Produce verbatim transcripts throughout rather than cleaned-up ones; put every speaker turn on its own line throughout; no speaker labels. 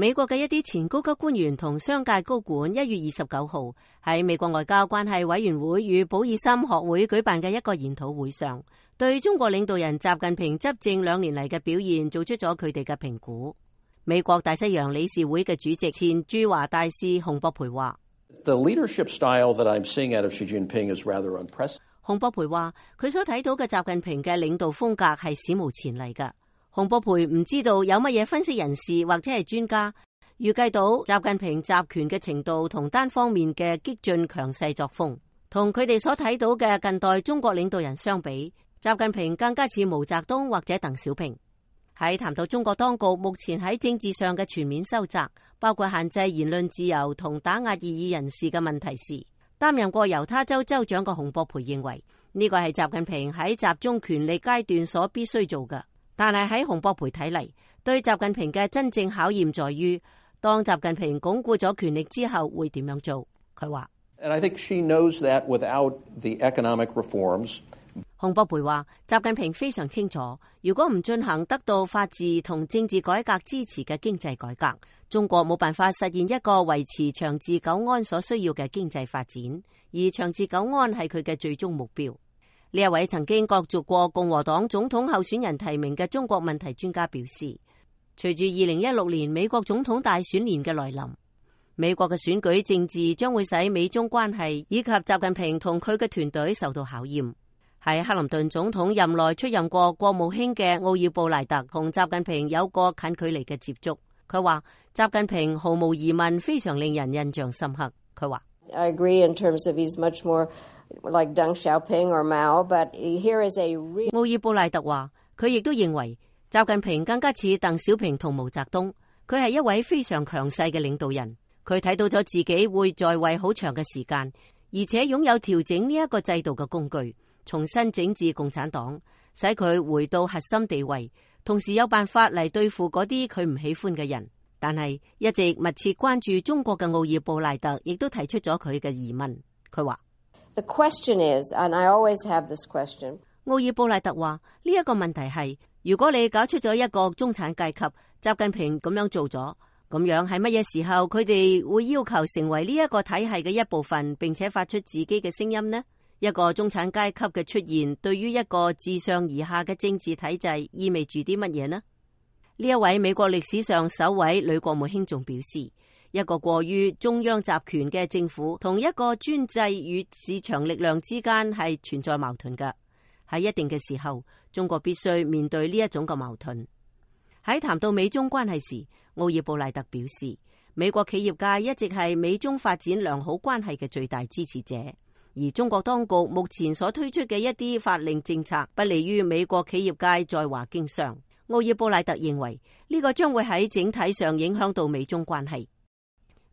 美國嘅一啲前高級官員同商界高管一月二十九號喺美國外交關係委員會與保爾森學會舉辦嘅一個研討會上，對中國領導人習近平執政兩年嚟嘅表現做出咗佢哋嘅評估。美國大西洋理事會嘅主席前駐華大使洪博培話：
The leadership style that I'm seeing out of Xi Jinping is rather unprecedented.
洪博培話佢所睇到嘅習近平嘅領導風格係史無前例㗎。洪博培唔知道有乜嘢分析人士或者係專家預計到習近平集權嘅程度同單方面嘅激進強勢作風，同佢哋所睇到嘅近代中國領導人相比，習近平更加似毛澤東或者鄧小平。喺談到中國當局目前喺政治上嘅全面收窄，包括限制言論自由同打壓異議人士嘅問題時，擔任過猶他州州長嘅洪博培認為呢個係習近平喺集中權力階段所必須做嘅。但係喺洪博培睇嚟，對習近平嘅真正考驗在於，當習近平鞏固咗權力之後會點樣做。佢話
And I think she knows that without the economic reforms.
洪博培話習近平非常清楚，如果唔進行得到法治同政治改革支持嘅經濟改革，中國冇辦法實現一個維持長治久安所需要嘅經濟發展，而長治久安係佢嘅最終目標。呢一位曾經角逐過共和黨總統候選人提名嘅中國問題專家表示，隨住二零一六年美國總統大選年嘅來臨，美國嘅選舉政治將會使美中關係以及習近平同佢嘅團隊受到考驗。喺克林頓總統任內出任過國務卿嘅奧爾布賴特同習近平有過近距離嘅接觸。佢話習近平毫無疑問非常令人印象深刻。佢話
I agree in terms of he's much more like Deng Xiaoping or Mao, but here is a real...
奧爾布賴特話佢亦都認為習近平更加似鄧小平同毛澤東，佢係一位非常強勢嘅領導人。佢睇到咗自己會在位好長嘅時間，而且擁有調整呢一個制度嘅工具，重新整治共產黨，使佢回到核心地位，同時有辦法嚟對付嗰啲佢唔喜歡嘅人。但係一直密切關注中國嘅奧爾布賴特亦都提出咗佢嘅疑問。佢話
The question is, and I always have this question.
奧爾布賴特話呢一個問題係，如果你搞出咗一個中產階級，習近平咁樣做咗，咁樣喺乜嘢時候佢哋會要求成為呢一個體系嘅一部分，並且發出自己嘅聲音呢？一個中產階級嘅出現，對於一個自上而下嘅政治體制意味住啲乜嘢呢？呢一位美國歷史上首位女國務卿仲表示，一個過於中央集權嘅政府同一個專制與市場力量之間係存在矛盾嘅。喺一定嘅時候，中國必須面對呢一種嘅矛盾。喺談到美中關係時，奧爾布賴特表示，美國企業界一直係美中發展良好關係嘅最大支持者，而中國當局目前所推出嘅一啲法令政策不利於美國企業界在華經商。奧爾布賴特認為呢個將會喺整體上影響到美中關係。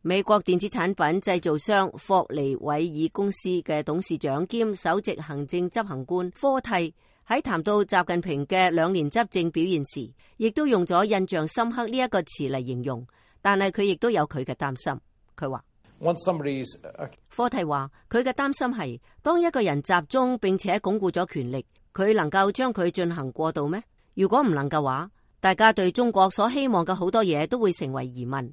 美國電子產品製造商霍尼韋爾公司嘅董事長兼首席行政執行官科蒂喺談到習近平嘅兩年執政表現時，亦都用咗印象深刻呢一個詞嚟形容，但係佢亦都有佢嘅擔心。佢話科蒂話佢嘅擔心係，當一個人集中並且鞏固咗權力，佢能夠將佢進行過渡咩？如果唔能嘅話，大家對中國所希望嘅好多嘢都會成為疑問。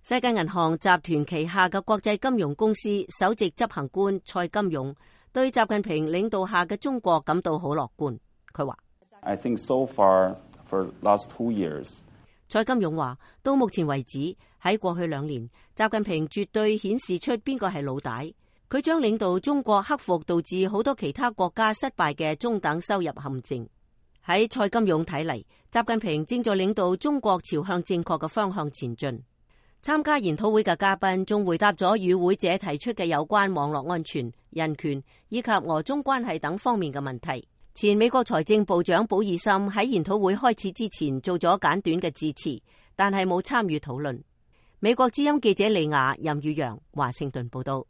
世界銀行集團旗下嘅國際金融公司首席執行官蔡金勇對習近平領導下嘅中國感到好樂觀。佢話
I think so far for last two years.
蔡金勇話到目前為止，喺過去兩年，習近平絕對顯示出邊個係老大。佢將領導中國克服導致好多其他國家失敗嘅中等收入陷阱。喺蔡金勇睇嚟，習近平正在領導中國朝向正確嘅方向前進。參加研討會嘅嘉賓仲回答咗與會者提出嘅有關網絡安全、人權以及俄中關係等方面嘅問題。前美國財政部長保爾森喺研討會開始之前做咗簡短嘅致辭，但係冇參與討論。美國之音記者李雅、任宇陽華盛頓報道。